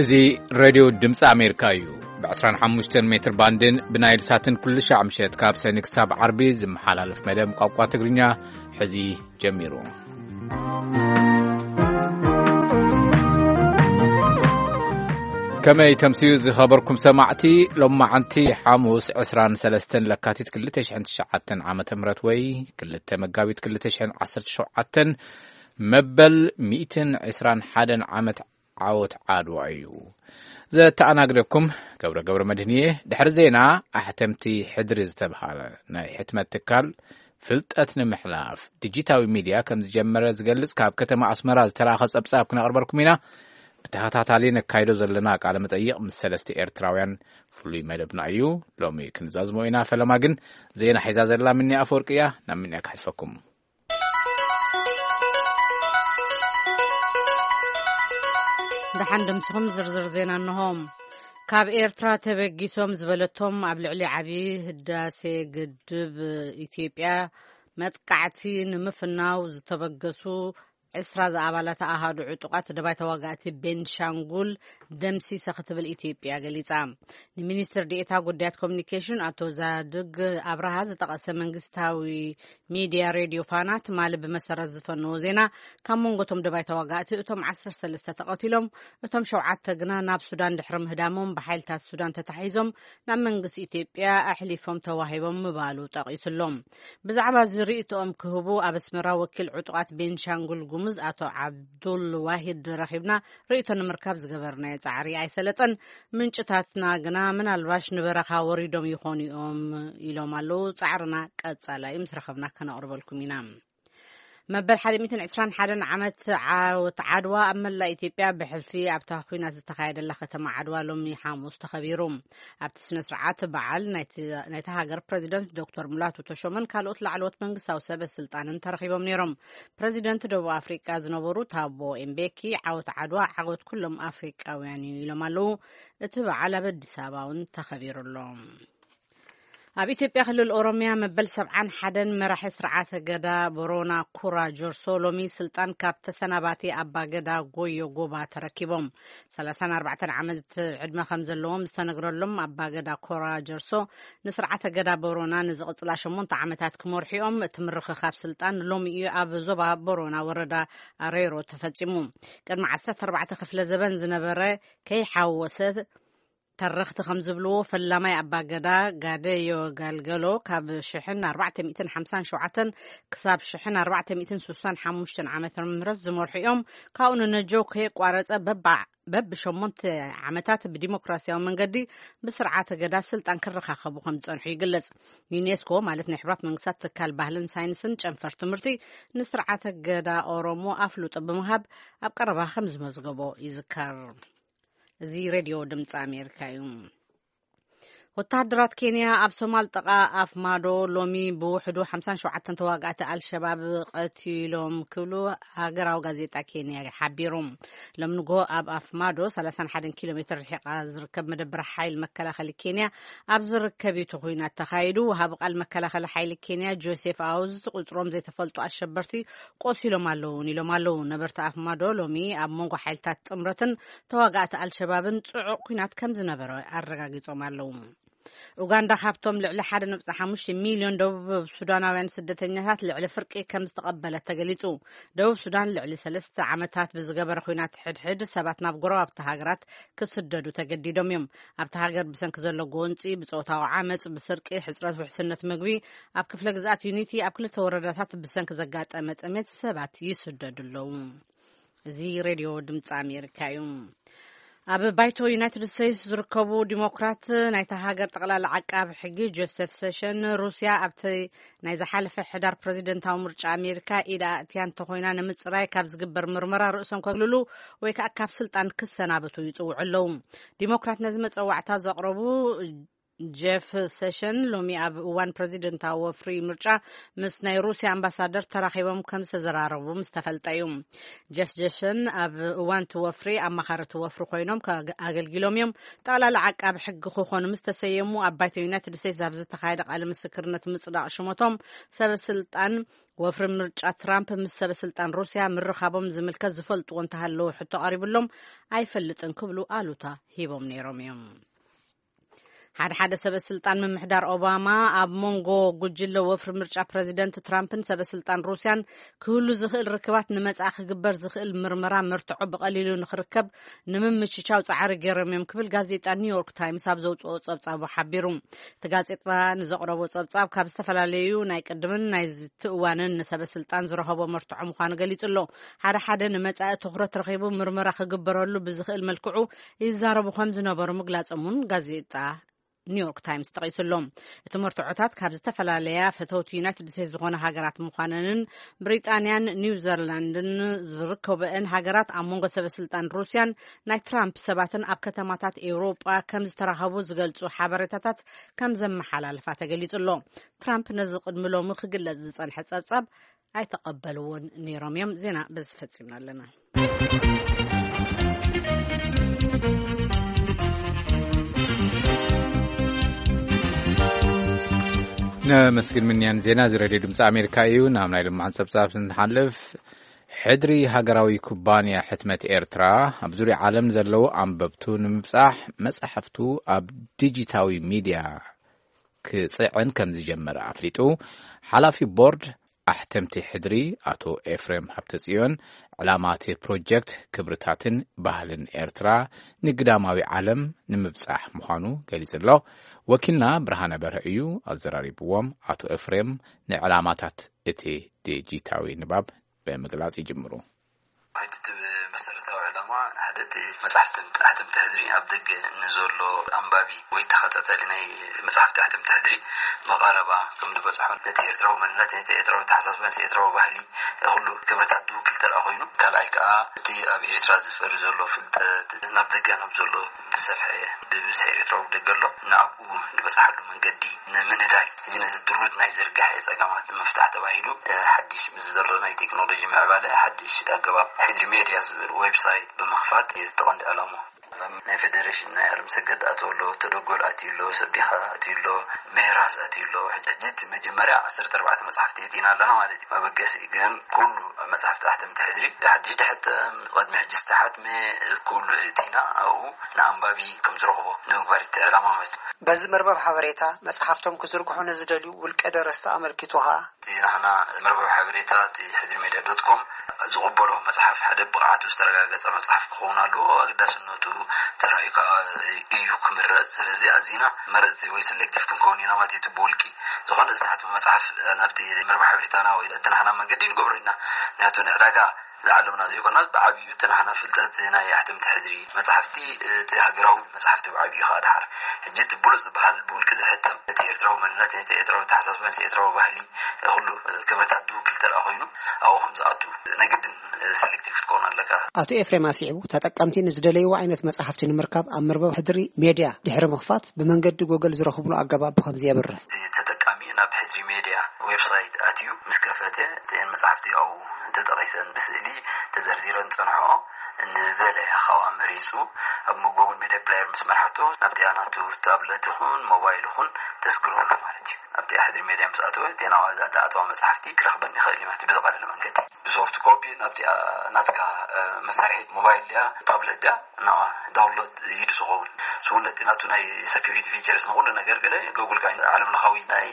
እዚ ሬድዮ ድምፂ ኣሜሪካ እዩ። ብ25 ሜትር ባንድን ብናይል ሳትን ኩሉ ሻዕ ምሸት ካብ ሰኒ ክሳብ ዓርቢ ዝመሓላለፍ መደብ ቋንቋ ትግርኛ ሕዚ ጀሚሩ። ከመይ ተምስዩ ዝኸበርኩም ሰማዕቲ? ሎማዓንቲ ሓሙስ 23 ለካቲት 2009 ዓመተ ምህረት ወይ 2 መጋቢት 2017 መበል 121 ዓመት ዓወት ዓድዋ እዩ። ዘተኣናግደኩም ገብረ ገብረ መድህን እየ። ድሕሪ ዜና ኣሕተምቲ ሕድሪ ዝተብሃለ ናይ ሕትመት ትካል ፍልጠት ንምሕላፍ ዲጂታዊ ሚድያ ከም ዝጀመረ ዝገልጽ ካብ ከተማ ኣስመራ ዝተላኸ ጸብጻብ ክነቕርበልኩም ኢና። ብተኸታታሊ ነካይዶ ዘለና ቃለ መጠይቕ ምስ ሰለስተ ኤርትራውያን ፍሉይ መደብና እዩ። ሎሚ ክንዛዝሞ ኢና። ፈለማ ግን ዜና ሒዛ ዘላ ምኒ ኣፈወርቂ እያ። ናብ ምንያ ክሕልፈኩም። ደሓን ደምስኹም ዝርዝር ዜና እንሆ። ካብ ኤርትራ ተበጊሶም ዝበለቶም ኣብ ልዕሊ ዓብዪ ህዳሴ ግድብ ኢትዮጵያ መጥቃዕቲ ንምፍናው ዝተበገሱ ዕስራ ዝኣባላት ኣሃዱ ዕጡቓት ደባይ ተዋጋእቲ ቤንሻንጉል ደምሲሰ ክትብል ኢትዮጵያ ገሊጻ። ንሚኒስትር ዴኤታ ጉዳያት ኮሚኒኬሽን ኣቶ ዛድግ ኣብርሃ ዝጠቐሰ መንግስታዊ ሚድያ ሬድዮ ፋና ትማሊ ብመሰረት ዝፈነዎ ዜና፣ ካብ መንጎ እቶም ደባይ ተዋጋእቲ እቶም ዓሰርተ ሰለስተ ተቐቲሎም፣ እቶም ሸውዓተ ግና ናብ ሱዳን ድሕሪ ምህዳሞም ብሓይልታት ሱዳን ተታሒዞም ናብ መንግስቲ ኢትዮጵያ ኣሕሊፎም ተዋሂቦም ምባሉ ጠቒሱሎም። ብዛዕባ እዚ ርእይቶኦም ክህቡ ኣብ ኣስመራ ወኪል ዕጡቓት ቤንሻንጉል ጉሙዝ ኣቶ ዓብዱል ዋሂድ ረኺብና ርእይቶ ንምርካብ ዝገበርናዮ ጻዕሪ ኣይሰለጠን። ምንጭታትና ግና ምናልባሽ ንበረኻ ወሪዶም ይኾኑ እዮም ኢሎም ኣለዉ። ጻዕርና ቀጻላይ ምስ ረኸብና ከነቕርበልኩም ኢና። መበል ሓደ ሚእትን ዕስራን ሓደን ዓመት ዓወት ዓድዋ ኣብ መላእ ኢትዮጵያ ብሕልፊ ኣብታ ኲናት ዝተኻየደላ ከተማ ዓድዋ ሎሚ ሓሙስ ተኸቢሩ። ኣብቲ ስነ ስርዓት በዓል ናይቲ ናይታ ሃገር ፕረዚደንት ዶክተር ሙላቱ ተሾመን ካልኦት ላዕለዎት መንግስታዊ ሰበ ስልጣንን ተረኺቦም ነይሮም። ፕረዚደንት ደቡብ ኣፍሪቃ ዝነበሩ ታቦ ኤምቤኪ ዓወት ዓድዋ ዓወት ኩሎም ኣፍሪቃውያን እዩ ኢሎም ኣለዉ። እቲ በዓል ኣብ ኣዲስ ኣበባ እውን ተኸቢሩ ኣሎ። ኣብ ኢትዮጵያ ክልል ኦሮሚያ መበል ሰብዓን ሓደን መራሒ ስርዓተ ገዳ ቦሮና ኩራ ጆርሶ ሎሚ ስልጣን ካብ ተሰናባቲ ኣባ ገዳ ጎዮ ጎባ ተረኪቦም። ሰላሳን ኣርባዕተን ዓመት ዕድመ ከም ዘለዎም ዝተነግረሎም ኣባ ገዳ ኮራ ጀርሶ ንስርዓተ ገዳ ቦሮና ንዝቕጽላ ሸሞንተ ዓመታት ክመርሑ እዮም። እቲ ምርኽኻብ ስልጣን ሎሚ እዩ ኣብ ዞባ ቦሮና ወረዳ ኣሬሮ ተፈጺሙ። ቅድሚ ዓሰርተ ኣርባዕተ ክፍለ ዘበን ዝነበረ ከይሓወሰ ተረኽቲ ከም ዝብልዎ፣ ፈላማይ ኣባ ገዳ ጋደዮ ጋልገሎ ካብ ሽሕን ኣርባዕተ ሚእትን ሓምሳን ሸውዓተን ክሳብ ሽሕን ኣርባዕተ ሚእትን ስሳን ሓሙሽተን ዓመተ ምህረት ዝመርሑ እዮም። ካብኡ ንነጆ ከየቋረጸ በባ በብሸሞንተ ዓመታት ብዲሞክራሲያዊ መንገዲ ብስርዓተ ገዳ ስልጣን ክረኻኸቡ ከም ዝጸንሑ ይግለጽ። ዩኔስኮ ማለት ናይ ሕቡራት መንግስታት ትካል ባህልን ሳይንስን ጨንፈር ትምህርቲ ንስርዓተ ገዳ ኦሮሞ ኣፍልጦ ብምሃብ ኣብ ቀረባ ከም ዝመዝገቦ ይዝከር። እዚ ሬድዮ ድምፂ ኣሜሪካ እዩ። ወተሃደራት ኬንያ ኣብ ሶማል ጥቓ ኣፍ ማዶ ሎሚ ብውሕዱ ሓምሳን ሸውዓተን ተዋጋእቲ ኣልሸባብ ቀቲሎም ክብሉ ሃገራዊ ጋዜጣ ኬንያ ሓቢሩ። ሎም ንጎ ኣብ ኣፍ ማዶ ሰላሳን ሓደን ኪሎ ሜትር ርሒቓ ዝርከብ መደበር ሓይል መከላኸሊ ኬንያ ኣብ ዝርከብ እዩ እቲ ኩናት ተኻይዱ። ወሃቢ ቃል መከላኸሊ ሓይሊ ኬንያ ጆሴፍ ኣውዝ ቁጽሮም ዘይተፈልጡ ኣሸበርቲ ቆሲሎም ኣለውን ኢሎም ኣለዉ። ነበርቲ ኣፍ ማዶ ሎሚ ኣብ መንጎ ሓይልታት ጥምረትን ተዋጋእቲ ኣልሸባብን ጽዑቕ ኩናት ከም ዝነበረ ኣረጋጊጾም ኣለዉ። ኡጋንዳ ካብቶም ልዕሊ ሓደ ነጥቢ ሓሙሽተ ሚልዮን ደቡብ ሱዳናውያን ስደተኛታት ልዕሊ ፍርቂ ከም ዝተቐበለት ተገሊጹ። ደቡብ ሱዳን ልዕሊ ሰለስተ ዓመታት ብዝገበረ ኩናት ሕድሕድ ሰባት ናብ ጎረባብቲ ሃገራት ክስደዱ ተገዲዶም እዮም። ኣብቲ ሃገር ብሰንኪ ዘሎ ጎንጺ፣ ብጾታዊ ዓመጽ፣ ብስርቂ፣ ሕጽረት ውሕስነት ምግቢ፣ ኣብ ክፍለ ግዝኣት ዩኒቲ ኣብ ክልተ ወረዳታት ብሰንኪ ዘጋጠመ ጥሜት ሰባት ይስደዱ ኣለዉ። እዚ ሬድዮ ድምፂ ኣሜሪካ እዩ። ኣብ ባይቶ ዩናይትድ ስቴትስ ዝርከቡ ዲሞክራት ናይታ ሃገር ጠቕላላ ዓቃቢ ሕጊ ጆሴፍ ሴሽን ሩስያ ኣብቲ ናይ ዝሓለፈ ሕዳር ፕረዚደንታዊ ምርጫ ኣሜሪካ ኢድ ኣእትያ እንተኾይና ንምፅራይ ካብ ዝግበር ምርመራ ርእሶም ከግልሉ ወይ ከዓ ካብ ስልጣን ክሰናበቱ ይፅውዑ ኣለዉ። ዲሞክራት ነዚ መፀዋዕታ ዘቕረቡ ጀፍ ሴሽን ሎሚ ኣብ እዋን ፕሬዚደንታዊ ወፍሪ ምርጫ ምስ ናይ ሩሲያ ኣምባሳደር ተራኺቦም ከም ዝተዘራረቡ ምስ ተፈልጠ እዩ። ጀፍ ሴሽን ኣብ እዋን እቲ ወፍሪ ኣማኻሪ እቲ ወፍሪ ኮይኖም ከ-፣ ኣገልጊሎም እዮም። ጠቕላላ ዓቃቢ ሕጊ ክኾኑ ምስ ተሰየሙ ኣብ ባይቶ ዩናይትድ ስቴትስ ኣብ ዝተኻየደ ቃለ ምስክርነት ምጽዳቕ ሽሞቶም ሰበ ስልጣን ወፍሪ ምርጫ ትራምፕ ምስ ሰበ ስልጣን ሩሲያ ምርኻቦም ዝምልከት ዝፈልጥዎ እንተሃለወ ሕቶ ቀሪብሎም ኣይፈልጥን ክብሉ ኣሉታ ሂቦም ነይሮም እዮም። ሓደ ሓደ ሰበ ስልጣን ምምሕዳር ኦባማ ኣብ መንጎ ጉጅለ ወፍሪ ምርጫ ፕረዚደንት ትራምፕን ሰበ ስልጣን ሩሲያን ክህሉ ዝኽእል ርክባት ንመጻኢ ክግበር ዝኽእል ምርመራ መርትዖ ብቐሊሉ ንኽርከብ ንምምችቻው ጻዕሪ ገይሮም እዮም ክብል ጋዜጣ ኒውዮርክ ታይምስ ኣብ ዘውጽኦ ጸብጻቡ ሓቢሩ። እቲ ጋዜጣ ንዘቕረቦ ጸብጻብ ካብ ዝተፈላለዩ ናይ ቅድምን ናይ ዝትእዋንን ንሰበ ስልጣን ዝረኸቦ መርትዖ ምዃኑ ገሊጹ ኣሎ። ሓደ ሓደ ንመጻኢ ትኹረት ረኺቡ ምርመራ ክግበረሉ ብዝኽእል መልክዑ ይዛረቡ ከም ዝነበሩ ምግላጾም እውን ጋዜጣ ኒውዮርክ ታይምስ ጠቒሱ ኣሎ። እቲ መርትዖታት ካብ ዝተፈላለያ ፈተውቲ ዩናይትድ ስቴትስ ዝኾነ ሃገራት ምዃነንን ብሪጣንያን ኒውዚላንድን ዝርከበአን ሃገራት ኣብ መንጎ ሰበ ስልጣን ሩሲያን ናይ ትራምፕ ሰባትን ኣብ ከተማታት ኤውሮጳ ከም ዝተራኸቡ ዝገልጹ ሓበሬታታት ከም ዘመሓላለፋ ተገሊጹ ኣሎ። ትራምፕ ነዚ ቅድሚ ሎሚ ክግለጽ ዝጸንሐ ጸብጻብ ኣይተቐበልዎን ነይሮም እዮም። ዜና በዚ ፈጺምና ኣለና። ነመስግን ምንያን ዜና እዚ ሬድዮ ድምፂ ኣሜሪካ እዩ። ናብ ናይ ልምዓት ጸብጻብ ንሓልፍ። ሕድሪ ሃገራዊ ኩባንያ ሕትመት ኤርትራ ኣብ ዙርያ ዓለም ዘለዉ ኣንበብቱ ንምብጻሕ መጻሕፍቱ ኣብ ዲጂታዊ ሚድያ ክጽዕን ከም ዝጀመረ ኣፍሊጡ። ሓላፊ ቦርድ ኣሕተምቲ ሕድሪ ኣቶ ኤፍሬም ሃብተጽዮን፣ ዕላማ እቲ ፕሮጀክት ክብርታትን ባህልን ኤርትራ ንግዳማዊ ዓለም ንምብጻሕ ምዃኑ ገሊጹ ኣሎ። ወኪልና ብርሃነ በርሀ እዩ ኣዘራሪብዎም። ኣቶ ኤፍሬም ንዕላማታት እቲ ዲጂታዊ ንባብ ብምግላጽ ይጅምሩ። ሕጂ እቲ መሰረታዊ ዕላማ ሓደ እቲ መጽሓፍቲ ኣሕተምቲ ሕድሪ ኣብ ደገ ንዘሎ ኣንባቢ ወይ ተኸታታሊ ናይ መጽሓፍቲ ኣሕተምቲ ሕድሪ ብቐረባ ከም ዝበጽሖ፣ ነቲ ኤርትራዊ መንነት፣ ነቲ ኤርትራዊ ኣተሓሳስባ፣ ነቲ ኤርትራዊ ባህሊ፣ ኩሉ ክብርታት ዝውክል ተደኣ ኮይኑ፣ ካልኣይ ከኣ እቲ ኣብ ኤርትራ ዝፈሪ ዘሎ ፍልጠት ናብ ደገ ናብ ዘሎ ዝሰፍሐ ብብዝሒ ኤርትራዊ ደገ ኣሎ፣ ንኣብኡ ዝበጽሓሉ መንገዲ ንምንዳይ፣ እዚ ነዚ ድሩት ናይ ዝርግሐ ጸገማት ንምፍታሕ ተባሂሉ፣ እ፣ ሓድሽ ምስ ዘሎ ናይ ቴክኖሎጂ ምዕባለ ሓድሽ ኣገባብ ሕድሪ ሜድያ ዝብል ዌብሳይት ብምኽፋት እዩ እቲ ቀንዲ ዕላማ። ናይ ፌደሬሽን ናይ ኣለምሰገድ ኣትዩ ኣሎ፣ ተደጎል ኣትዩ ኣሎ፣ ሰቢኻ ኣትዩ ኣሎ፣ ሜራስ ኣትዩ ኣሎ። ሕጂ፣ ሕጂ እቲ መጀመርያ ዓሰርተ ኣርባዕተ መጽሓፍቲ የእቲና ኣለና ማለት እዩ። መበገሲ ግን ኩሉ መጽሓፍቲ ኣሕተምቲ ሕድሪ ሓድሽ ድሕተም፣ ቅድሚ ሕጂ ዝተሓትመ ኩሉ እቲና ኣብኡ ንኣንባቢ ከም ዝረኽቦ ንምግባር እቲ ዕላማ ማለት እዩ። በዚ መርበብ ሓበሬታ መጽሓፍቶም ክዝርግሑ ንዝደልዩ ውልቀ ደረስቲ ኣመልኪቱ ኸኣ፣ እቲ ናህና መርበብ ሓበሬታ እቲ ሕድሪ ሜድያ ዶት ኮም ዝቕበሎ መጽሓፍ ሓደ ብቕዓቱ ዝተረጋገጸ መጽሓፍ ክኸውን ኣለዎ። ኣገዳስነቱ ተራእዩ ከኣ እዩ ክምረጽ። ስለዚ ኣዚና መረጽቲ ወይ ሰሌክቲቭ ክንከውን ኢና ማለት እዩ። እቲ ብውልቂ ዝኾነ ዝተሓትመ መጽሓፍ ናብቲ መርበብ ሓበሬታና ወይ እቲ ናህና መንገዲ ንገብሮ ኢና። ምክንያቱ ንዕዳጋ ዝዓለምና ዘይኮና ብዓብዩ እቲ ናህና ፍልጠት ናይ ኣሕተምቲ ሕድሪ መጽሓፍቲ፣ እቲ ሃገራዊ መጽሓፍቲ ብዓብዩ ከኣ ድሓር። ሕጂ እቲ ብሉጽ ዝበሃል ብውልቂ ዝሕተም እቲ ኤርትራዊ መንነት፣ እቲ ኤርትራዊ ኣተሓሳስባ፣ እቲ ኤርትራዊ ባህሊ፣ ኩሉ ክብርታት ዝውክል ተደኣ ኮይኑ ኣብኡ ከም ዝኣቱ ናይ ግድን ሰሌክቲቭ ክትከውን ኣለካ። ኣቶ ኤፍሬም ኣስዒቡ፣ ተጠቀምቲ ንዝደለይዎ ዓይነት መጽሓፍቲ ንምርካብ ኣብ መርበብ ሕድሪ ሜድያ ድሕሪ ምኽፋት ብመንገዲ ጎገል ዝረኽብሉ ኣገባብ ብኸምዚ የብርህ። እቲ ተጠቃሚ ናብ ሕድሪ ሜድያ ዌብሳይት ኣትዩ ምስ ከፈተ፣ እተን መጽሓፍቲ ኣብኡ ተጠቒሰን ብስእሊ ተዘርዚረን ጸንሖ። ንዝደለያ ካብኣ መሪጹ ኣብ ጉግል ሜድያ ፕሌየር ምስ መርሓቶ ናብቲ ናቱ ታብለት ይኹን ሞባይል ይኹን ተስግረሉ ማለት እዩ። ኣብቲ ሕድሪ ሜድያ ምስ ኣተወ፣ እተን ኣብኣ ዝኣተዋ መጽሓፍቲ ክረኽበን ይኽእል እዩ ማለት እዩ ብዝቐለለ መንገዲ። ብሶፍት ኮፒ ናብቲ ናትካ፣ እ፣ መሳርሒት ሞባይል ድያ፣ ታብለት ድያ፣ ናብኣ ዳውንሎድ እዩ ዝኸውን። ንሱ እውን ነቲ ናቱ ናይ ሰኪሪቲ ፊቸርስ ንኹሉ ነገር ገለ ጉግል ከኣ ዓለም ለኻዊ ናይ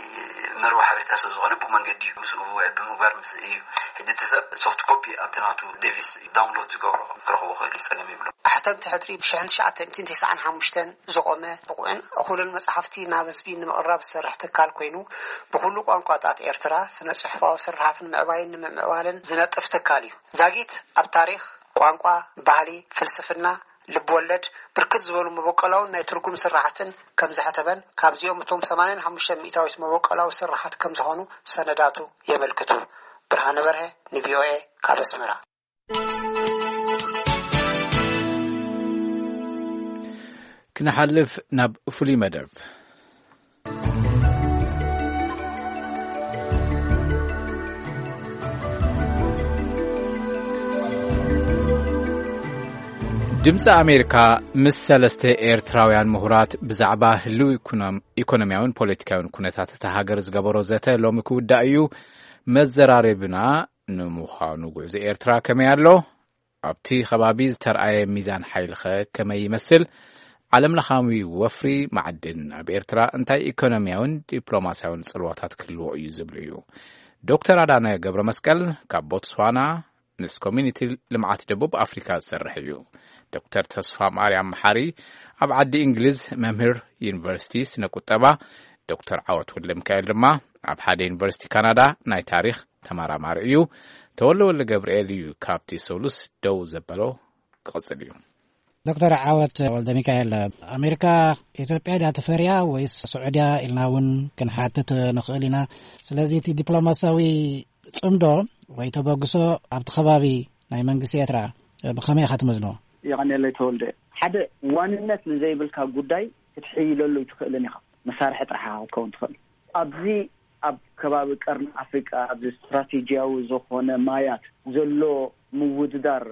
መርበብ ሓበሬታ ስለ ዝኾነ ብኡ መንገዲ እዩ ምስኡ ውዕል ብምግባር ምስ እዩ። ሕጂ እቲ ሰብ ሶፍት ኮፒ ኣብቲ ናቱ ዴቪስ ዳውንሎድ ዝገብሮ ክረኽቦ ክእል እዩ፣ ጸገም የብሉ። ኣሕተምቲ ሕድሪ ብሽሕን ትሽዓተ ሚእትን ተስዓን ሓሙሽተን ዝቖመ ብቑዕን እኹልን መጽሓፍቲ ናብ ህዝቢ ንምቕራብ ዝሰርሕ ትካል ኮይኑ፣ ብኹሉ ቋንቋታት ኤርትራ ስነ ጽሑፋዊ ስርሓት ንምዕባይን ንምምዕባልን ዝነጥፍ ትካል እዩ። ዛጊት ኣብ ታሪኽ፣ ቋንቋ፣ ባህሊ፣ ፍልስፍና፣ ልብ ወለድ፣ ብርክት ዝበሉ መበቆላውን ናይ ትርጉም ስርሓትን ከም ዘሕተመን፣ ካብዚኦም እቶም ሰማንያን ሓሙሽተ ሚእታዊት መበቆላዊ ስርሓት ከም ዝኾኑ ሰነዳቱ የመልክቱ። ብርሃነ በርሀ ንቪኦኤ ካብ ኣስመራ። ክንሓልፍ ናብ ፍሉይ መደብ። ድምፂ ኣሜሪካ ምስ ሰለስተ ኤርትራውያን ምሁራት ብዛዕባ ህልው ኢኮኖም-፣ ኢኮኖሚያውን ፖለቲካውን ኩነታት እታ ሃገር ዝገበሮ ዘተ ሎሚ ክውዳእ እዩ። መዘራረብና ንምዃኑ ጉዕዞ ኤርትራ ከመይ ኣሎ? ኣብቲ ከባቢ ዝተርኣየ ሚዛን ሓይልኸ ከመይ ይመስል? ዓለምለኻዊ ወፍሪ ማዕድን ኣብ ኤርትራ እንታይ ኢኮኖሚያውን ዲፕሎማሲያውን ጽልዋታት ክህልዎ እዩ ዝብል እዩ። ዶክተር ኣዳነ ገብረ መስቀል ካብ ቦትስዋና ምስ ኮሚኒቲ ልምዓት ደቡብ ኣፍሪካ ዝሰርሕ እዩ። ዶክተር ተስፋ ማርያም መሓሪ ኣብ ዓዲ እንግሊዝ መምህር ዩኒቨርሲቲ ስነ ቁጠባ፣ ዶክተር ዓወት ወልደ ሚካኤል ድማ ኣብ ሓደ ዩኒቨርሲቲ ካናዳ ናይ ታሪኽ ተመራማሪ እዩ። ተወልደ ወልደ ገብርኤል እዩ ካብቲ ሰሉስ ደው ዘበሎ ክቕጽል እዩ። ዶክተር ዓወት ወልደ ሚካኤል፣ ኣሜሪካ ኢትዮጵያ ድያ ትፈርያ ወይስ ስዑድያ ኢልና እውን ክንሓትት ንኽእል ኢና። ስለዚ እቲ ዲፕሎማሲያዊ ጽምዶ ወይ ተበግሶ ኣብቲ ከባቢ ናይ መንግስቲ ኤርትራ ብኸመይ ኢኻ ትመዝኖ? የቐኔለይ ተወልደ፣ ሓደ ዋንነት ንዘይብልካ ጉዳይ ክትሕይለሉ ኣይትኽእልን ኢኻ። መሳርሒ ጥራሕ ኢኻ ክትከውን ትኽእል። ኣብዚ ኣብ ከባቢ ቀርኒ ኣፍሪቃ ኣብዚ ስትራቴጂያዊ ዝኾነ ማያት ዘሎ ምውድዳር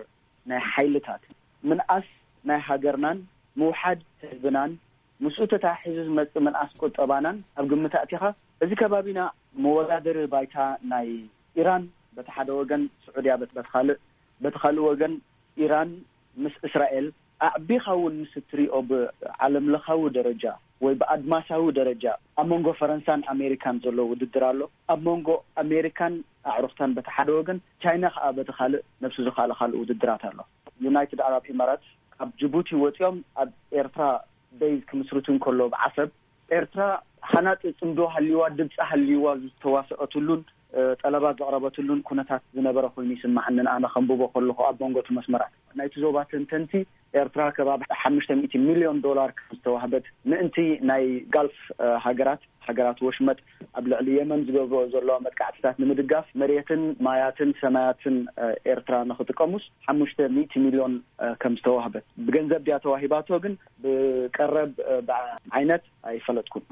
ናይ ሓይልታት ምንኣስ ናይ ሃገርናን ምውሓድ ህዝብናን ምስኡ ተታሒዙ ዝመጽእ ምንኣስ ቁጠባናን ኣብ ግምት ኣእቲኻ፣ እዚ ከባቢና መወዳደሪ ባይታ ናይ ኢራን በቲ ሓደ ወገን፣ ስዑድያ በቲ በቲ ካልእ፣ በቲ ካልእ ወገን ኢራን ምስ እስራኤል ኣዕቢኻ እውን ምስ እትሪኦ ብዓለም ለኻዊ ደረጃ ወይ ብኣድማሳዊ ደረጃ ኣብ መንጎ ፈረንሳን ኣሜሪካን ዘሎ ውድድር ኣሎ። ኣብ መንጎ ኣሜሪካን ኣዕሩኽታን በቲ ሓደ ወገን፣ ቻይና ከኣ በቲ ካልእ ነብሱ ዝኻለ ካልእ ውድድራት ኣሎ። ዩናይትድ ኣረብ ኢማራት ካብ ጅቡቲ ወፂኦም ኣብ ኤርትራ ቤዝ ክምስርቱ እንከሎ ብዓሰብ ኤርትራ ሃናፂ ፅምዶ ሃልይዋ፣ ድምፂ ሃልይዋ ዝተዋሰአትሉን እ፣ ጠለባት ዘቕረበትሉን ኩነታት ዝነበረ ኮይኑ ይስማዓኒ። ኣነ ከንብቦ ከለኹ ኣብ መንጎ እቲ መስመራት ናይቲ ዞባ ተንተንቲ ኤርትራ ከባቢ ሓሙሽተ ሚእቲ ሚልዮን ዶላር ከም ዝተዋህበት ምእንቲ ናይ ጋልፍ፣ እ፣ ሃገራት፣ ሃገራት ወሽመጥ ኣብ ልዕሊ የመን ዝገብርኦ ዘለዋ መጥቃዕትታት ንምድጋፍ መሬትን ማያትን ሰማያትን፣ እ፣ ኤርትራ ንኽጥቀሙስ ሓሙሽተ ሚእቲ ሚልዮን፣ እ፣ ከም ዝተዋህበት ብገንዘብ ድያ ተዋሂባቶ ግን ብቀረብ፣ እ፣ ብዓይነት ኣይፈለጥኩን።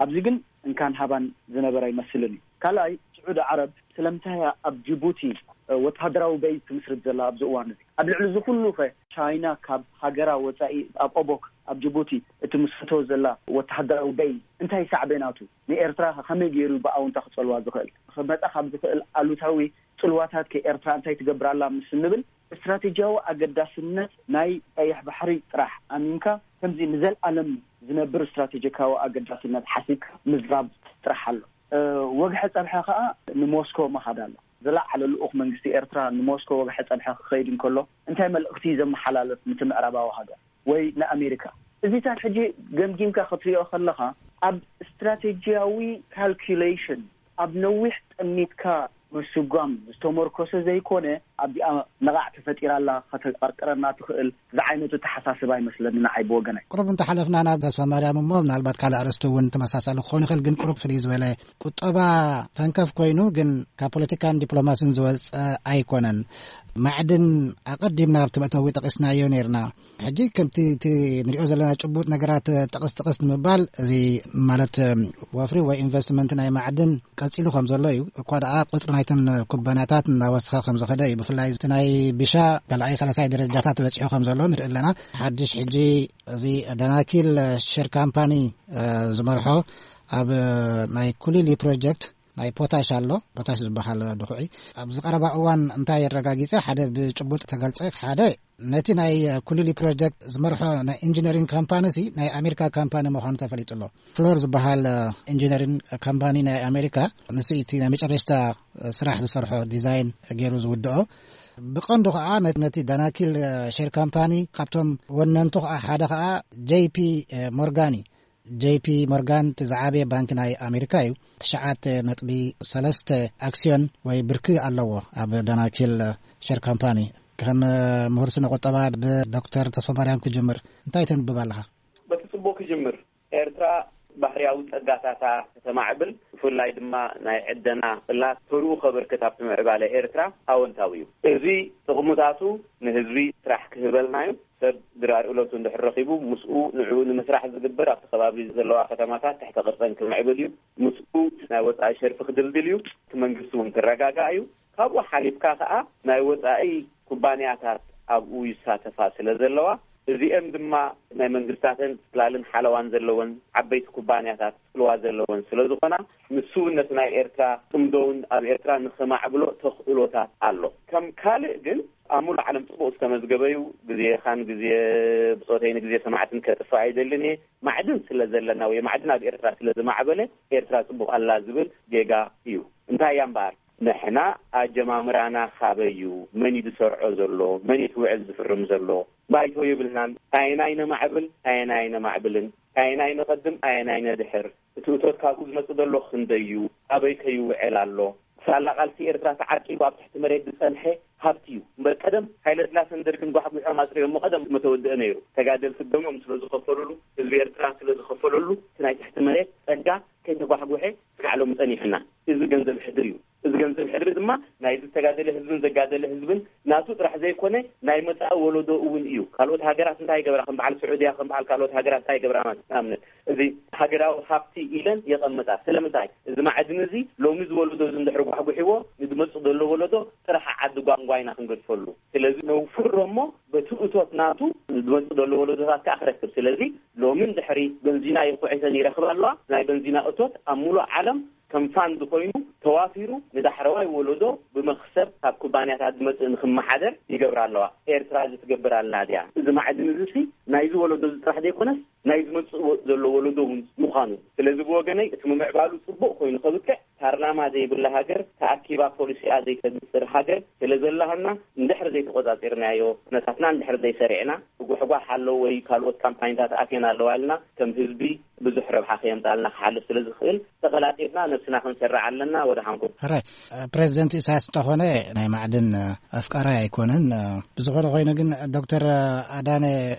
ኣብዚ ግን እንካን ሃባን ዝነበረ ኣይመስልን እዩ። ካልኣይ፣ ስዑዲ ዓረብ ስለምንታይ እያ ኣብ ጅቡቲ፣ እ፣ ወተሃደራዊ በይዝ ትምስርት ዘላ ኣብዚ እዋን እዚ? ኣብ ልዕሊ እዚ ኩሉ ኸ ቻይና ካብ ሃገራ ወጻኢ ኣብ ኦቦክ ኣብ ጅቡቲ እትምስርቶ ዘላ ወተሃደራዊ በይዝ እንታይ ሳዕቤናቱ? ንኤርትራ ኸ ከመይ ገይሩ ብኣውንታ ክጸልዋ ዝኽእል? ክመጻ ካብ ዝኽእል ኣሉታዊ ጽልዋታት ከ ኤርትራ እንታይ ትገብር ኣላ ምስ እንብል፣ ስትራቴጂያዊ ኣገዳስነት ናይ ቀይሕ ባሕሪ ጥራሕ ኣሚንካ ከምዚ ንዘልኣለም ዝነብር ስትራቴጂካዊ ኣገዳስነት ሓሲብካ ምዝራብ ጥራሕ ኣሎ። እ፣ ወግሐ ጸብሐ ከኣ ንሞስኮ ምኻድ ኣሎ። ዝለዓለ ልኡኽ መንግስቲ ኤርትራ ንሞስኮ ወግሐ ጸብሐ ክኸይድ እንከሎ እንታይ መልእኽቲ እዩ ዘመሓላልፍ ንቲ ምዕራባዊ ሃገር ወይ ንኣሜሪካ? እዚታት ሕጂ ገምጊምካ ክትሪኦ ከለኻ ኣብ ስትራቴጂያዊ ካልኩሌሽን ኣብ ነዊሕ ጠሚትካ ምስጓም ዝተመርኮሰ ዘይኮነ ኣብዚኣ ነቓዕ ተፈጢራ ኣላ ከተቐርቅረና ትኽእል ዝዓይነቱ ተሓሳስባ ኣይመስለኒ ንዓይ ብወገነይ። ቁሩብ እንተሓለፍና ናብ ተስፋ ማርያም እሞ ምናልባት ካልእ ኣርእስቲ እውን ተመሳሳሊ ክኸውን ይኽእል፣ ግን ቁሩብ ፍልይ ዝበለ ቁጠባ ተንከፍ ኮይኑ ግን ካብ ፖለቲካን ዲፕሎማስን ዝወፀ ኣይኮነን። ማዕድን ኣቐዲምና ኣብቲ መእተዊ ጠቒስናዮ ነይርና። ሕጂ ከምቲ እቲ ንሪኦ ዘለና ጭቡጥ ነገራት ጠቕስ ጠቕስ ንምባል እዚ ማለት ወፍሪ ወይ ኢንቨስትመንት ናይ ማዕድን ቀጺሉ ከም ዘሎ እዩ። እኳ ደኣ ቁጽሪ ናይተን ኩባንያታት እናወሰኸ ከም ዝኸደ እዩ። ብፍላይ እቲ ናይ ቢሻ ካልኣይ ሳልሳይ ደረጃታት በጺሑ ከም ዘሎ ንርኢ ኣለና። ሓድሽ ሕጂ እዚ ዳናኪል ሼር ካምፓኒ፣ እ፣ ዝመርሖ ኣብ ናይ ኩሊሊ ፕሮጀክት ናይ ፖታሽ ኣሎ፣ ፖታሽ ዝበሃል ድኹዒ። ኣብዚ ቀረባ እዋን እንታይ የረጋጊጸ? ሓደ ብጭቡጥ ተገልጸ፣ ሓደ ነቲ ናይ ኩሊሊ ፕሮጀክት ዝመርሖ ናይ ኢንጂነሪንግ ካምፓኒ ሲ ናይ ኣሜሪካ ካምፓኒ ምዃኑ ተፈሊጡ ኣሎ። ፍሎር ዝበሃል ኢንጂነሪንግ ካምፓኒ ናይ ኣሜሪካ ንሱ እቲ ናይ መጨረሽታ ስራሕ ዝሰርሖ ዲዛይን ገይሩ ዝውድኦ። ብቐንዱ ከዓ ነ-፣ ነቲ ዳናኪል ሼር ካምፓኒ ካብቶም ወነንቱ ከዓ ሓደ ከዓ ጄይ ፒ ሞርጋን እዩ። ጄይ ፒ ሞርጋን እቲ ዝዓበየ ባንክ ናይ ኣሜሪካ እዩ። ትሽዓተ ነጥቢ ሰለስተ ኣክስዮን ወይ ብርኪ ኣለዎ ኣብ ዳናኪል ሼር ካምፓኒ። ከም ምሁር ስነ ቁጠባ ብዶክተር ተስፋማርያም ክጅምር፣ እንታይ ተንብብ ኣለኻ? በቲ ጽቡቕ ክጅምር። ኤርትራ ባህርያዊ ጸጋታታ ከተማዕብል፣ ብፍላይ ድማ ናይ ዕደና ጽላት ተርኡ ከበርክት ኣብቲ ምዕባለ ኤርትራ ኣወንታዊ እዩ። እዚ ጥቕሙታቱ ንህዝቢ ስራሕ ክህበልና እዩ። ሰብ ድራር እለቱ እንድሕር ረኺቡ፣ ምስኡ ንዕኡ ንምስራሕ ዝግበር ኣብቲ ከባቢ ዘለዋ ከተማታት ትሕተ ቅርጸን ክምዕብል እዩ። ምስኡ ናይ ወጻኢ ሸርፊ ክድልድል እዩ። እቲ መንግስቲ እውን ክረጋጋእ እዩ። ካብኡ ሓሊፍካ ከኣ ናይ ወጻኢ ኩባንያታት ኣብኡ ይሳተፋ ስለ ዘለዋ፣ እዚኤን ድማ ናይ መንግስታተን ጽላልን ሓለዋን ዘለወን ዓበይቲ ኩባንያታት ጽልዋ ዘለወን ስለ ዝኾና፣ ንስውነት ናይ ኤርትራ ጽምዶውን ኣብ ኤርትራ ንኸማዕብሎ ተኽእሎታት ኣሎ። ከም ካልእ ግን ኣብ ሙሉእ ዓለም ጽቡቕ ዝተመዝገበዩ፣ ግዜኻን ግዜ ብጾተይ ንግዜ ሰማዕትን ከጥፍእ ኣይደልን እየ። ማዕድን ስለ ዘለና ወይ ማዕድን ኣብ ኤርትራ ስለ ዝማዕበለ ኤርትራ ጽቡቕ ኣላ ዝብል ጌጋ እዩ። እንታይ እያ እምበኣር? ንሕና ኣጀማምራና ካበይ እዩ? መን እዩ ዝሰርዖ ዘሎ? መን እዩ እቲ ውዕል ዝፍርም ዘሎ? ባይቶ የብልናን። ኣየናይ ነማዕብል፣ ኣየናይ ነማዕብልን፣ ኣየናይ ነቐድም፣ ኣየናይ ነድሕር፣ እቲ እቶት ካብኡ ዝመጽእ ዘሎ ክንደይ እዩ? ኣበይ ከይውዕል ኣሎ? ሳላ ቃልሲ ኤርትራ ተዓቂቡ ኣብ ትሕቲ መሬት ዝጸንሐ ሃብቲ እዩ። እምበር ቀደም ሃይለ ስላሰን ደርግን ጓሕጒሖም ኣጽሪዮሞ ቀደም መተወድአ ነይሩ። ተጋደልቲ ደሞም ስለ ዝኸፈሉሉ፣ ህዝቢ ኤርትራ ስለ ዝኸፈለሉ፣ እቲ ናይ ትሕቲ መሬት ጸጋ ከይተጓሕጉሐ እስካዕ ሎሚ ጸኒሕና። እዚ ገንዘብ ሕድሪ እዩ። እዚ ገንዘብ ሕድሪ ድማ ናይ ዝተጋደለ ህዝብን ዘጋደለ ህዝብን ናቱ ጥራሕ ዘይኮነ፣ ናይ መጻኢ ወለዶ እውን እዩ። ካልኦት ሃገራት እንታይ ይገብራ? ከም በዓል ስዑድያ፣ ከም በዓል ካልኦት ሃገራት እንታይ ይገብራ? ማለት ንኣብነት፣ እዚ ሃገራዊ ሃብቲ ኢለን የቐምጣ። ስለምንታይ? እዚ ማዕድን እዚ ሎሚ ዝወለዶ እዚ እንድሕር ጓሕጉሕዎ፣ ንዝመጽእ ዘሎ ወለዶ ጥራሕ ዓዲ ጓንጓ ኢና ክንገድፈሉ። ስለዚ ነውፍሮ እሞ፣ በቲ እቶት ናቱ ዝመጽእ ዘሎ ወለዶታት ከኣ ክረክብ። ስለዚ ሎሚ እንድሕሪ በንዚና ይኹዒተን ይረኽባ ኣለዋ። ናይ በንዚና እቶት ኣብ ሙሉእ ዓለም ከም ፋንድ ኮይኑ ተዋፊሩ ንዳሕረዋይ ወለዶ ብመኽሰብ ካብ ኩባንያታት ዝመጽእ ንክመሓደር ይገብራ ኣለዋ። ኤርትራ እዚ ትገብር ኣላ ድያ? እዚ ማዕድን እዚ ሲ ናይዚ ወለዶ እዚ ጥራሕ ዘይኮነስ ናይ ዝመጽእ ወ-፣ ዘሎ ወለዶ እውን ምዃኑ። ስለዚ ብወገነይ እቲ ምምዕባሉ ጽቡቕ ኮይኑ ከብቅዕ ፓርላማ ዘይብላ ሃገር፣ ተኣኪባ ፖሊሲኣ ዘይተብጽር ሃገር ስለ ዘላሃና፣ እንድሕር ዘይተቆጻጺርናዮ፣ ኩነታትና እንድሕር ዘይሰሪዕና፣ ብጓሕጓሕ ኣሎ ወይ ካልኦት ካምፓኒታት ኣትየን ኣለዋ ኢልና ከም ህዝቢ ብዙሕ ረብሓ ከየምጻልና ክሓልፍ ስለ ዝኽእል፣ ተቐላጢፍና ነብስና ክንሰርዕ ኣለና። ወደ ሓንኩም። ሕራይ፣ ፕሬዚደንት ኢሳያስ እንተኾነ ናይ ማዕድን ኣፍቃራይ ኣይኮነን። ብዝኾነ ኮይኑ ግን ዶክተር ኣዳነ፣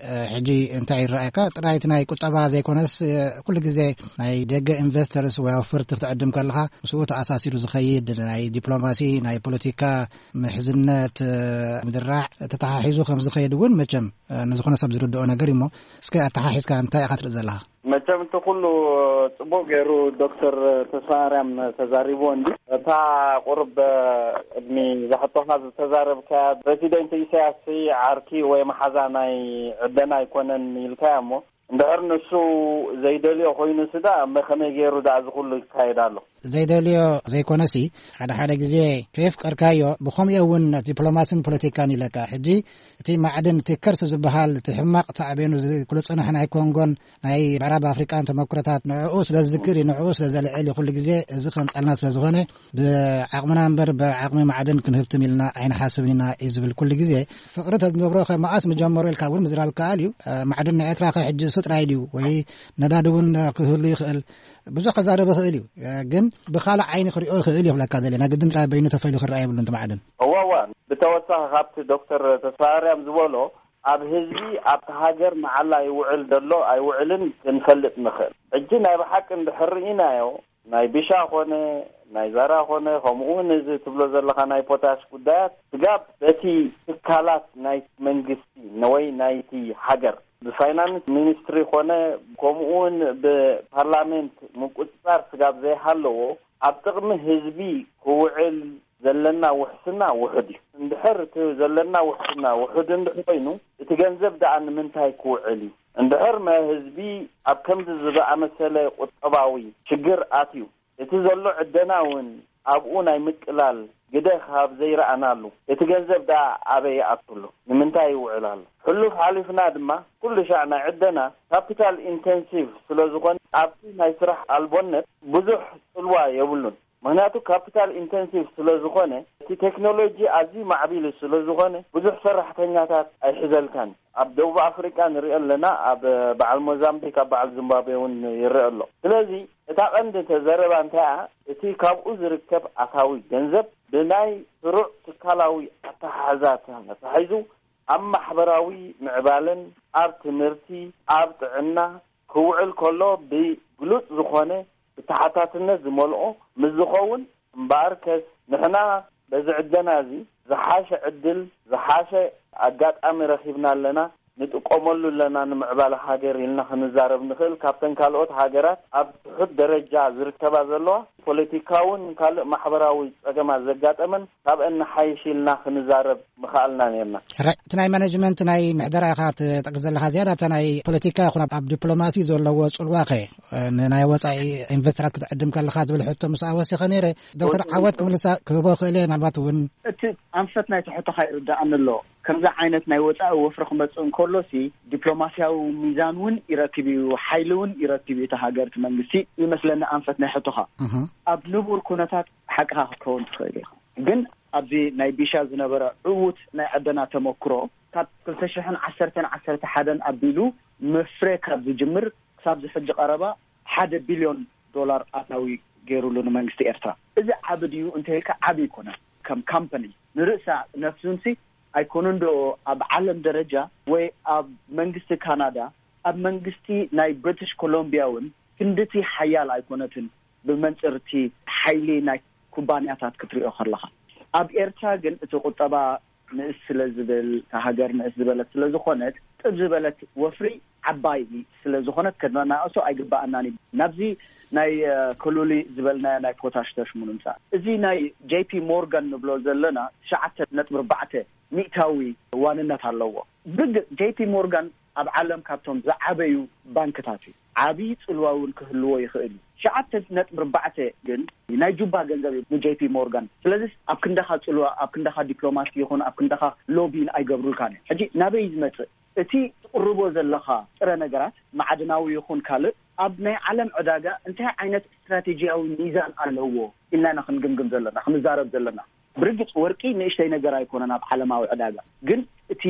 ሕጂ እንታይ ይረኣየካ? ጥራይ እቲ ናይ ቁጠባ ዘይኮነስ፣ ኩሉ ግዜ ናይ ደገ ኢንቨስተርስ ወይ ኣውፈርቲ ክትዕድም ከለኻ ምስኡ ተኣሳሲሩ ዝኸይድ ናይ ዲፕሎማሲ፣ ናይ ፖለቲካ ምሕዝነት፣ ምድራዕ ተተሓሒዙ ከም ዝኸይድ እውን መቸም ንዝኾነ ሰብ ዝርድኦ ነገር እዩ። እሞ እስከ ኣተሓሒዝካ እንታይ ኢኻ ትርኢ ዘለኻ? መቸም እቲ ኩሉ ጽቡቕ ገይሩ ዶክተር ተስፋማርያም ተዛሪብዎ እንዲ። እታ ቁርብ ቅድሚ ዛሕቶኻ ዝተዛረብካያ ፕረሲደንት ኢሳያስ ዓርኪ ወይ መሓዛ ናይ ዕደና ኣይኮነን ኢልካያ እሞ፣ እንድሕር ንሱ ዘይደልዮ ኮይኑ ስዳ እመ ከመይ ገይሩ ደኣ እዚ ኩሉ ይካየድ ኣሎ? ዘይደልዮ ዘይኮነሲ፣ ሓደ ሓደ ግዜ ከየፍቀርካዮ ብኸምኡ እውን ዲፕሎማስን ፖለቲካን ይለካ። ሕጂ እቲ ማዕድን፣ እቲ ከርሲ ዝበሃል፣ እቲ ሕማቕ ሳዕቤኑ እዚ ኩሉ ጽንሕ ናይ ኮንጎን ናይ ምዕራብ ኣፍሪቃን ተመክሮታት ንዕኡ ስለ ዝዝክር እዩ፣ ንዕኡ ስለ ዘልዕል እዩ። ኩሉ ግዜ እዚ ከምጻልና ስለ ዝኾነ፣ ብዓቕምና እምበር ብዓቕሚ ማዕድን ክንህብትም ኢልና ኣይንሓስብን ኢና እዩ ዝብል ኩሉ ግዜ። ፍቕሪ ተዝነብሮ ከ መኣስ ምጀመሮ ኢልካ እውን ምዝራብ ይከኣል እዩ። ማዕድን ናይ ኤርትራ ከ ሕጂ እሱ ጥራይ ድዩ? ወይ ነዳዲ እውን ክህሉ ይኽእል። ብዙሕ ከዛረብ ይኽእል እዩ። ግን ብኻልእ ዓይኒ ክሪኦ ይኽእል እዩ ክብለካ ዘለ። ናይ ግድን ጥራይ በይኑ ተፈይሉ ክረኣ የብሉን እቲ ማዕድን። እዋ፣ እዋ። ብተወሳኺ ካብቲ ዶክተር ተስፋማርያም ዝበሎ፣ ኣብ ህዝቢ ኣብቲ ሃገር መዓላ ይውዕል ደሎ ኣይውዕልን ክንፈልጥ ንኽእል። ሕጂ ናይ ብሓቂ እንድሕር ርኢናዮ፣ ናይ ቢሻ ኾነ፣ ናይ ዛራ ኾነ፣ ከምኡ እውን እዚ ትብሎ ዘለኻ ናይ ፖታሽ ጉዳያት፣ ስጋብ በቲ ትካላት ናይ መንግስቲ ወይ ናይቲ ሃገር ብፋይናንስ ሚኒስትሪ ኾነ፣ ከምኡ እውን ብፓርላሜንት ምቁጽጻር ስጋብ ዘይሃለዎ፣ ኣብ ጥቕሚ ህዝቢ ክውዕል ዘለና ውሕስና ውሑድ እዩ። እንድሕር እቲ ዘለና ውሕስና ውሑድ እንድሕር ኮይኑ፣ እቲ ገንዘብ ደኣ ንምንታይ ክውዕል እዩ? እንድሕር መ ህዝቢ ኣብ ከምዚ ዝኣመሰለ ቁጠባዊ ሽግር ኣትዩ፣ እቲ ዘሎ ዕደና እውን ኣብኡ ናይ ምቅላል ግደ ካብ ዘይረኣናሉ፣ እቲ ገንዘብ ደኣ ኣበይ ይኣቱ ኣሎ? ንምንታይ ይውዕል ኣሎ? ሕሉፍ ሓሊፍና ድማ፣ ኩሉ ሻዕ ናይ ዕደና ካፒታል ኢንቴንሲቭ ስለ ዝኾነ፣ ኣብቲ ናይ ስራሕ ኣልቦነት ብዙሕ ጽልዋ የብሉን። ምኽንያቱ ካፒታል ኢንቴንሲቭ ስለ ዝኾነ፣ እቲ ቴክኖሎጂ ኣዝዩ ማዕቢሉ ስለ ዝኾነ፣ ብዙሕ ሰራሕተኛታት ኣይሕዘልካን። ኣብ ደቡብ ኣፍሪቃ ንሪኦ ኣለና፣ ኣብ በዓል ሞዛምቢክ፣ ኣብ በዓል ዚምባብዌ እውን ይረአ ኣሎ። ስለዚ እታ ቀንዲ ተዘረባ እንታይ እያ? እቲ ካብኡ ዝርከብ ኣታዊ ገንዘብ ብናይ ስሩዕ ትካላዊ ኣተሓሕዛ ተታሒዙ ኣብ ማሕበራዊ ምዕባለን ኣብ ትምህርቲ፣ ኣብ ጥዕና ክውዕል ከሎ ብግሉጽ ዝኾነ ብተሓታትነት ዝመልኦ ምስ ዝኸውን፣ እምበኣርከስ ንሕና በዚ ዕደና እዚ ዝሓሸ ዕድል፣ ዝሓሸ ኣጋጣሚ ረኺብና ኣለና። ንጥቀመሉ ኣለና ንምዕባለ ሃገር ኢልና ክንዛረብ ንኽእል። ካብተን ካልኦት ሃገራት ኣብ ትሑት ደረጃ ዝርከባ ዘለዋ ፖለቲካውን ካልእ ማሕበራዊ ጸገማት ዘጋጠመን ካብአን ንሓይሽ ኢልና ክንዛረብ ምኽኣልና ነርና። ሕራይ፣ እቲ ናይ ማኔጅመንት ናይ ምሕደራ ኢኻ ትጠቅስ ዘለኻ፣ ዝያዳ ኣብታ ናይ ፖለቲካ ይኹን ኣብ፣ ኣብ ዲፕሎማሲ ዘለዎ ጽልዋ ኸ፣ ንናይ ወጻኢ ኢንቨስተራት ክትዕድም ከለኻ ዝብል ሕቶ ምስ ኣወሲኸ ነይረ። ዶክተር ዓወት ክምልሳ ክህቦ ክእል እየ፣ ምናልባት እውን እቲ ኣንፈት ናይ ትሕቶኻ ይርዳእኒ ኣሎ። ከምዚ ዓይነት ናይ ወጻኢ ወፍሪ ክመጽእ እንከሎሲ ዲፕሎማስያዊ ሚዛን እውን ይረክብ እዩ፣ ሓይሊ እውን ይረክብ እዩ እቲ ሃገር፣ እቲ መንግስቲ ይመስለኒ ኣንፈት ናይ ሕቶኻ። እህ። ኣብ ንቡር ኩነታት ሓቅኻ ክትከውን ትኽእል ኢኻ። ግን ኣብዚ ናይ ቢሻ ዝነበረ ዕዉት ናይ ዕደና ተመክሮ ካብ ክልተ ሽሕን ዓሰርተን ዓሰርተ ሓደን ኣቢሉ መፍረ ካብ ዝጅምር ክሳብ ዝሕጂ ቀረባ ሓደ ቢልዮን ዶላር ኣታዊ ገይሩሉ ንመንግስቲ ኤርትራ። እዚ ዓቢ ድዩ እንተይልካ ዓቢ ኣይኮነን። ከም ካምፓኒ ንርእሳ ነፍሱንሲ ኣይኮነን ዶ ኣብ ዓለም ደረጃ ወይ ኣብ መንግስቲ ካናዳ ኣብ መንግስቲ ናይ ብሪቲሽ ኮሎምቢያ እውን ክንድቲ ሓያል ኣይኮነትን። ብመንጽርቲ ሓይሊ ናይ ኩባንያታት ክትሪኦ ከለኻ ኣብ ኤርትራ ግን እቲ ቁጠባ ንእስ ስለ ዝብል እታ ሃገር ንእስ ዝበለት ስለ ዝኾነት ጥብ ዝበለት ወፍሪ ዓባይ ስለ ዝኾነት ከናናእሶ ኣይግባኣናን እዩ። ናብዚ ናይ ከሉሊ ዝበልናዮ ናይ ፖታሽ ተሽሙ ንምፃእ እዚ ናይ ጄፒ ሞርጋን ንብሎ ዘለና ትሽዓተ ነጥቢ ኣርባዕተ ሚእታዊ ዋንነት ኣለዎ። ብርግፅ ጄፒ ሞርጋን ኣብ ዓለም ካብቶም ዝዓበዩ ባንክታት እዩ። ዓብዪ ፅልዋ እውን ክህልዎ ይኽእል እዩ። ትሽዓተ ነጥቢ ኣርባዕተ ግን ናይ ጁባ ገንዘብ እዩ ንጄፒ ሞርጋን። ስለዚ ኣብ ክንዳኻ ፅልዋ ኣብ ክንዳኻ ዲፕሎማሲ ይኹን ኣብ ክንዳኻ ሎቢን ኣይገብሩልካን እዮም። ሕጂ ናበይ ዝመፅእ እቲ ትቕርቦ ዘለኻ ጥረ ነገራት ማዕድናዊ ይኹን ካልእ ኣብ ናይ ዓለም ዕዳጋ እንታይ ዓይነት ስትራቴጂያዊ ሚዛን ኣለዎ ኢልና ኢና ክንግምግም ዘለና ክንዛረብ ዘለና። ብርግፅ ወርቂ ንእሽተይ ነገር ኣይኮነን ኣብ ዓለማዊ ዕዳጋ። ግን እቲ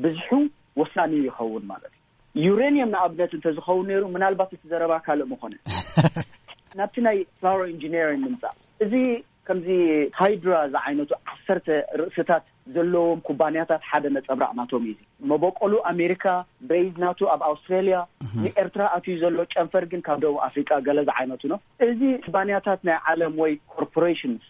ብዝሑ ወሳኒ ይኸውን ማለት እዩ። ዩሬኒየም ንኣብነት እንተዝኸውን ነይሩ ምናልባት እቲ ዘረባ ካልእ ምኾነ። ናብቲ ናይ ፍላወር ኢንጂነሪንግ ንምፃእ እዚ ከምዚ ሃይድራ ዝዓይነቱ ዓሰርተ ርእስታት ዘለዎም ኩባንያታት ሓደ ነፀብራቕ ናቶም እዩ። መበቆሉ ኣሜሪካ፣ በይዝ ናቱ ኣብ ኣውስትራሊያ፣ ንኤርትራ ኣትዩ ዘሎ ጨንፈር ግን ካብ ደቡብ ኣፍሪቃ ገለ ዝዓይነቱ ነው። እዚ ኩባንያታት ናይ ዓለም ወይ ኮርፖሬሽንስ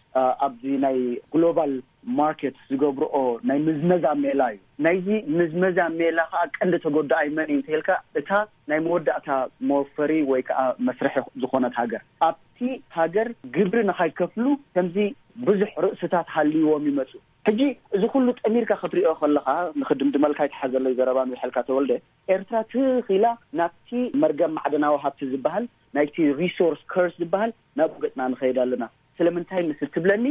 ኣብዚ ናይ ግሎባል ማርኬት ዝገብርኦ ናይ ምዝመዛ ሜላ እዩ። ናይዚ ምዝመዛ ሜላ ከዓ ቀንዲ ተጎዳኣይ መን እዩ እንተልካ እታ ናይ መወዳእታ መወፈሪ ወይ ከዓ መስርሒ ዝኾነት ሃገር ኣብቲ ሃገር ግብሪ ንኸይከፍሉ ከምዚ ብዙሕ ርእስታት ሃልይዎም ይመፁ። ሕጂ እዚ ኩሉ ጠሚርካ ክትሪኦ ከለኻ ንክድምድመልካ ይትሓዘለይ ዘረባ ንውሕልካ ተወልደ ኤርትራ ትኽኢላ ናብቲ መርገም ማዕደናዊ ሃብቲ ዝበሃል ናይቲ ሪሶርስ ከርስ ዝበሃል ናብኡ ገፅና ንኸይድ ኣለና። ስለምንታይ ምስ እትብለኒ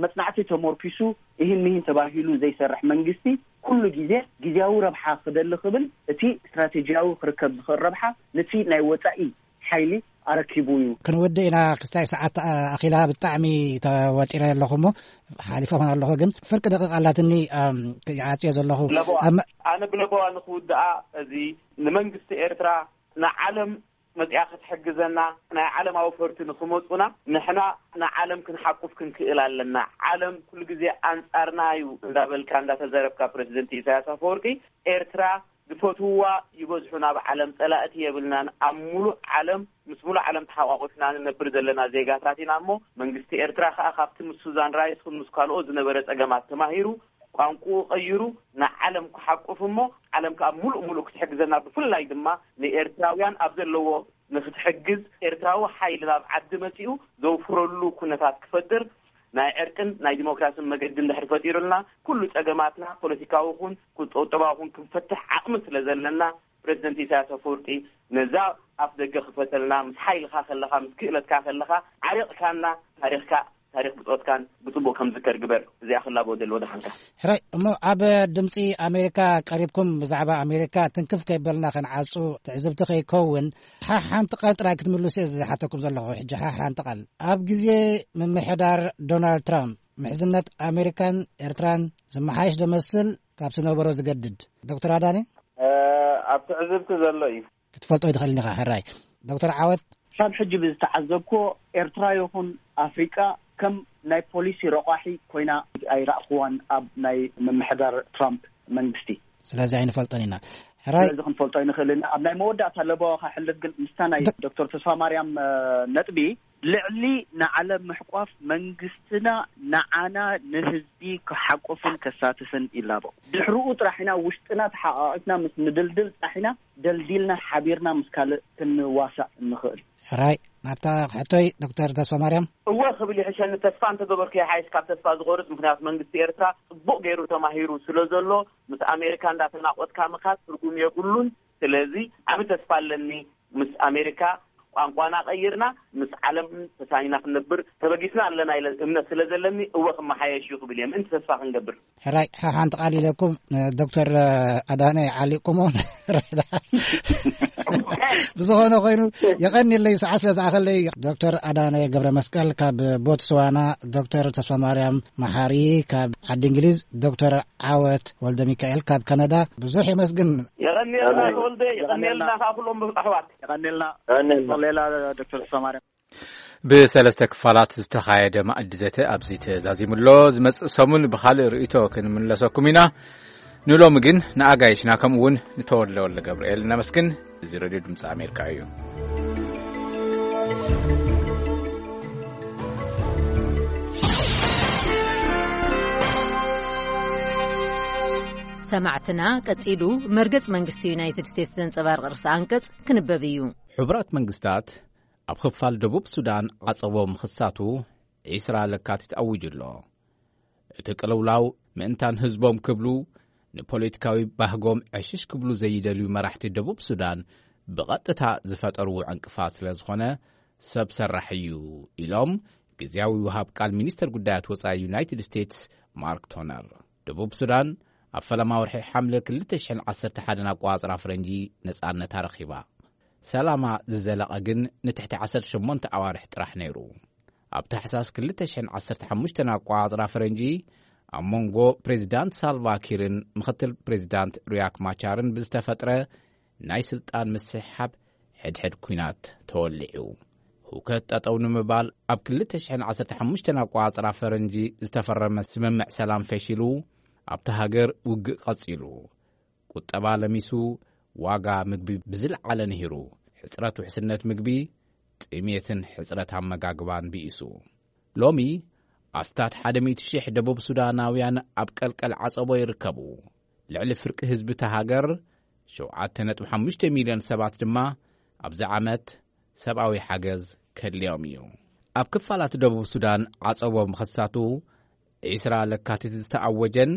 መፅናዕቲ ተመርኪሱ እሂን ምሂን ተባሂሉ ዘይሰርሕ መንግስቲ ኩሉ ግዜ ግዜያዊ ረብሓ ክደሊ ክብል እቲ ስትራቴጂያዊ ክርከብ ዝኽእል ረብሓ ነቲ ናይ ወፃኢ ሓይሊ ኣረኪቡ እዩ። ክንውድእ ኢና ክስታይ ሰዓት ኣኺላ ብጣዕሚ ተወጢረ ኣለኹ እሞ ሓሊፈ ኾን ኣለኹ ግን ፍርቂ ደቂቕ ኣላትኒ ይዓፅዮ ዘለኹ። ኣነ ብለበዋ ንክውድኣ እዚ ንመንግስቲ ኤርትራ ንዓለም መፅያ ክትሕግዘና ናይ ዓለም ኣውፈርቲ ንክመፁና ንሕና ንዓለም ክንሓቁፍ ክንክእል ኣለና። ዓለም ኩሉ ግዜ ኣንፃርና እዩ እንዳበልካ እንዳተዘረብካ ፕረዚደንት ኢሳያስ ኣፈወርቂ ኤርትራ ዝፈትውዋ ይበዝሑ ናብ ዓለም ፀላእቲ የብልናን ኣብ ሙሉእ ዓለም ምስ ሙሉእ ዓለም ተሓቋቁፍና ንነብር ዘለና ዜጋታት ኢና እሞ መንግስቲ ኤርትራ ከዓ ካብቲ ምስ ሱዛን ራይስ ምስ ካልኦ ዝነበረ ፀገማት ተማሂሩ ቋንቁኡ ቀይሩ ንዓለም ክሓቁፍ እሞ ዓለም ከዓ ሙሉእ ሙሉእ ክትሕግዘና ብፍላይ ድማ ንኤርትራውያን ኣብ ዘለዎ ንክትሕግዝ ኤርትራዊ ሓይሊ ናብ ዓዲ መፂኡ ዘውፍረሉ ኩነታት ክፈጥር ናይ ዕርቅን ናይ ዲሞክራስን መገዲ እንድሕር ፈጢሩልና ኩሉ ፀገማትና ፖለቲካዊ ኹን ቁጠባዊ ኹን ክንፈትሕ ዓቕሚ ስለ ዘለና ፕረዚደንት ኢሳያስ ኣፈወርቂ ነዛ ኣፍ ደገ ክፈተልና ምስ ሓይልካ ከለካ ምስ ክእለትካ ከለካ ዓሪቕካና ታሪኽካ ታሪኽ ብፆትካን ብፅቡቅ ከም ዝከር ግበር። እዚኣ ክላቦ ደል ወደ ሓንካ ሕራይ እሞ ኣብ ድምፂ ኣሜሪካ ቀሪብኩም ብዛዕባ ኣሜሪካ ትንክፍ ከይበልና ከንዓፁ ትዕዝብቲ ከይከውን ሓ ሓንቲ ቃል ጥራይ ክትምልሱ እየ ዝሓተኩም ዘለኹ። ሕጂ ሓ ሓንቲ ቃል ኣብ ግዜ ምምሕዳር ዶናልድ ትራምፕ ምሕዝነት ኣሜሪካን ኤርትራን ዝመሓየሽ ደመስል ካብ ዝነበሮ ዝገድድ ዶክተር ኣዳኒ ኣብ ትዕዝብቲ ዘሎ እዩ። ክትፈልጦ ይትኽእል ኢኻ። ሕራይ ዶክተር ዓወት ካብ ሕጂ ብዝተዓዘብኮ ኤርትራ ይኹን ኣፍሪቃ ከም ናይ ፖሊሲ ረቋሒ ኮይና ኣይረእክዋን ኣብ ናይ ምምሕዳር ትራምፕ መንግስቲ። ስለዚ ኣይንፈልጦን ኢና። ሕራይ ስለዚ ክንፈልጦ ኣይንኽእልን። ኣብ ናይ መወዳእታ ለበዋ ከሕልፍ ግን ምስታ ናይ ዶክተር ተስፋ ማርያም ነጥቢ ልዕሊ ንዓለም ምሕቋፍ መንግስትና ንዓና ንህዝቢ ክሓቁፍን ከሳትፍን ይላቦ። ድሕርኡ ጥራሕ ኢና ውሽጥና ተሓቃቂፍና ምስ ንድልድል ጥራሕ ኢና ደልዲልና ሓቢርና ምስ ካልእ ክንዋሳእ እንኽእል። ሕራይ፣ ናብታ ሕቶይ ዶክተር ተስፋ ማርያም። እወ ክብል ይሕሸኒ። ተስፋ እንተገበርኩ ይሓይሽ ካብ ተስፋ ዝቆርጽ። ምክንያቱ መንግስቲ ኤርትራ ጽቡቕ ገይሩ ተማሂሩ ስለ ዘሎ፣ ምስ ኣሜሪካ እንዳተናቆትካ ምኻድ ትርጉም የብሉን። ስለዚ ዓቢ ተስፋ ኣለኒ። ምስ ኣሜሪካ ቋንቋና ቀይርና ምስ ዓለም ተሳኒና ክንነብር ተበጊስና ኣለና ኢለ እምነት ስለ ዘለኒ፣ እወ ክመሓየሽ እዩ ክብል እየ። ምእንቲ ተስፋ ክንገብር። ሕራይ፣ ሓ-፣ ሓንቲ ቃል ኢለኩም፣ ዶክተር ኣዳነ ዓሊቁሞ። ብዝኾነ ኮይኑ፣ የቐንየለይ፣ ሰዓት ስለ ዝኣኸለይ። ዶክተር ኣዳነ ገብረ መስቀል ካብ ቦትስዋና፣ ዶክተር ተስፋ ማርያም መሓሪ ካብ ዓዲ እንግሊዝ፣ ዶክተር ዓወት ወልደ ሚካኤል ካብ ካናዳ፣ ብዙሕ የመስግን። የቐንየልና ተወልደ፣ የቐንየልና ከዓ ኩሎም ኣሕዋት። የቐንየልና። የቐንየልና። ሌላ ዶክተር ተስፋ ማርያም። ብሰለስተ ክፋላት ዝተኻየደ ማእዲ ዘተ ኣብዚ ተዛዚሙ ኣሎ። ዝመጽእ ሰሙን ብኻልእ ርእይቶ ክንምለሰኩም ኢና። ንሎሚ ግን ንኣጋይሽና ከምኡ እውን ንተወልደ ወልደ ገብርኤል ነመስግን። እዚ ሬድዮ ድምፂ ኣሜሪካ እዩ። ሰማዕትና፣ ቀጺሉ መርገጽ መንግስቲ ዩናይትድ ስቴትስ ዘንጸባርቕ ርእሰ ኣንቀጽ ክንበብ እዩ። ሕቡራት መንግስታት ኣብ ክፋል ደቡብ ሱዳን ዓጸቦ ምኽሳቱ ዒስራ ለካቲት ኣዊጁ ኣሎ። እቲ ቅልውላው ምእንታን ህዝቦም ክብሉ ንፖለቲካዊ ባህጎም ዕሽሽ ክብሉ ዘይደልዩ መራሕቲ ደቡብ ሱዳን ብቐጥታ ዝፈጠርዎ ዕንቅፋት ስለ ዝኾነ ሰብ ሰራሕ እዩ ኢሎም ግዝያዊ ወሃብ ቃል ሚኒስተር ጉዳያት ወጻኢ ዩናይትድ ስቴትስ ማርክ ቶነር። ደቡብ ሱዳን ኣብ ፈለማ ወርሒ ሓምለ ክልተ ሽሕን ዓሰርተ ሓደን ኣቆጻጽራ ፈረንጂ ነጻነታ ረኺባ። ሰላማ ዝዘለቐ ግን ንትሕቲ ዓሰርተ ሸሞንተ ኣዋርሕ ጥራሕ ነይሩ። ኣብ ታሕሳስ ክልተ ሽሕን ዓሰርተ ሓሙሽተን ኣቆጻጽራ ፈረንጂ ኣብ መንጎ ፕሬዚዳንት ሳልቫ ኪርን ምኽትል ፕሬዚዳንት ሪያክ ማቻርን ብዝተፈጥረ ናይ ስልጣን ምስሕሓብ ሕድሕድ ኲናት ተወሊዑ። ህውከት ጠጠው ንምባል ኣብ ክልተ ሽሕን ዓሰርተ ሓሙሽተን ኣቆጻጽራ ፈረንጂ ዝተፈረመ ስምምዕ ሰላም ፈሺሉ፣ ኣብታ ሃገር ውግእ ቀጺሉ። ቁጠባ ለሚሱ፣ ዋጋ ምግቢ ብዝለዓለ ንሂሩ፣ ሕጽረት ውሕስነት ምግቢ፣ ጥሜትን ሕጽረት ኣመጋግባን ብኢሱ። ሎሚ ኣስታት ሓደ ሚእቲ ሽሕ ደቡብ ሱዳናውያን ኣብ ቀልቀል ዓጸቦ ይርከቡ። ልዕሊ ፍርቂ ህዝቢ እታ ሃገር፣ ሸውዓተ ነጥቢ ሓሙሽተ ሚልዮን ሰባት ድማ ኣብዚ ዓመት ሰብኣዊ ሓገዝ ከድልዮም እዩ። ኣብ ክፋላት ደቡብ ሱዳን ዓጸቦ ምኽሳቱ ዒስራ ለካቲት ዝተኣወጀን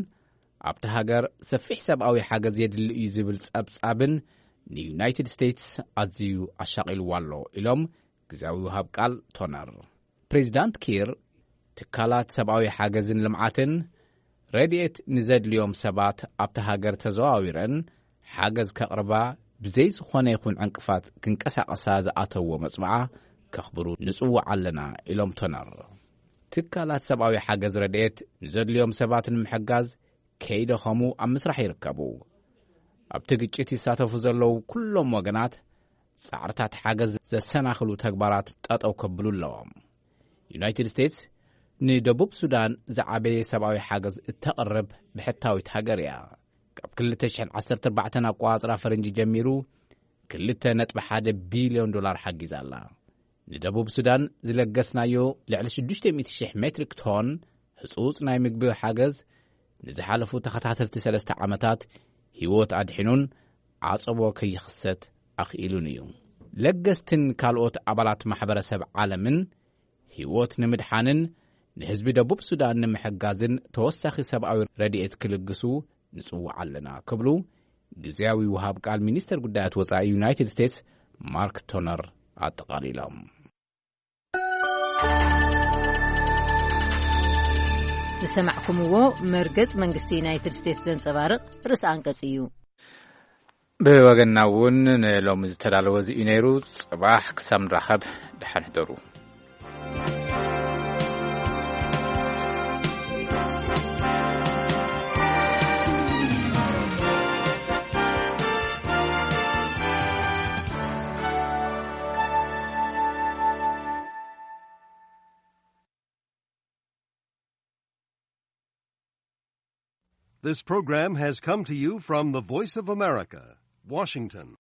ኣብቲ ሃገር ሰፊሕ ሰብኣዊ ሓገዝ የድሊ እዩ ዝብል ጸብጻብን ንዩናይትድ ስቴትስ ኣዝዩ ኣሻቒልዋ ኣሎ ኢሎም ግዝያዊ ወሃብ ቃል ቶነር። ፕሬዚዳንት ኪር ትካላት ሰብኣዊ ሓገዝን ልምዓትን ረድኤት ንዘድልዮም ሰባት ኣብቲ ሃገር ተዘዋዊረን ሓገዝ ከቕርባ ብዘይ ዝኾነ ይኹን ዕንቅፋት ክንቀሳቐሳ ዝኣተዎ መጽብዓ ከኽብሩ ንጽውዕ ኣለና ኢሎም ቶነር። ትካላት ሰብኣዊ ሓገዝ ረድኤት ንዘድልዮም ሰባት ንምሕጋዝ ከይደኸሙ ኣብ ምስራሕ ይርከቡ። ኣብቲ ግጭት ይሳተፉ ዘለዉ ኩሎም ወገናት ጻዕርታት ሓገዝ ዘሰናኽሉ ተግባራት ጠጠው ከብሉ ኣለዎም። ዩናይትድ ስቴትስ ንደቡብ ሱዳን ዝዓበየ ሰብኣዊ ሓገዝ እተቕርብ ብሕታዊት ሃገር እያ። ካብ ክልተ ሽሕን ዓሰርተ ኣርባዕተን ኣቆጻጽራ ፈረንጂ ጀሚሩ ክልተ ነጥቢ ሓደ ቢልዮን ዶላር ሓጊዛ ኣላ። ንደቡብ ሱዳን ዝለገስናዮ ልዕሊ ሽዱሽተ ሚእቲ ሽሕ ሜትሪክ ቶን ህጹጽ ናይ ምግቢ ሓገዝ ንዝሓለፉ ተኸታተልቲ ሰለስተ ዓመታት ህይወት ኣድሒኑን ዓጸቦ ከይኽሰት ኣኽኢሉን እዩ። ለገስትን ካልኦት ኣባላት ማሕበረሰብ ዓለምን ህይወት ንምድሓንን ንህዝቢ ደቡብ ሱዳን ንምሕጋዝን ተወሳኺ ሰብኣዊ ረድኤት ክልግሱ ንጽውዕ ኣለና ክብሉ ግዝያዊ ወሃብ ቃል ሚኒስተር ጉዳያት ወጻኢ ዩናይትድ ስቴትስ ማርክ ቶነር ኣጠቓሊሎም። ዝሰማዕኩምዎ መርገጽ መንግስቲ ዩናይትድ ስቴትስ ዘንጸባርቕ ርእሰ ኣንቀጽ እዩ። ብወገንና እውን ንሎሚ ዝተዳለወ እዚ እዩ ነይሩ። ጽባሕ ክሳብ ንራኸብ ደሓን ሕደሩ። This program has come to you from the Voice of America, Washington.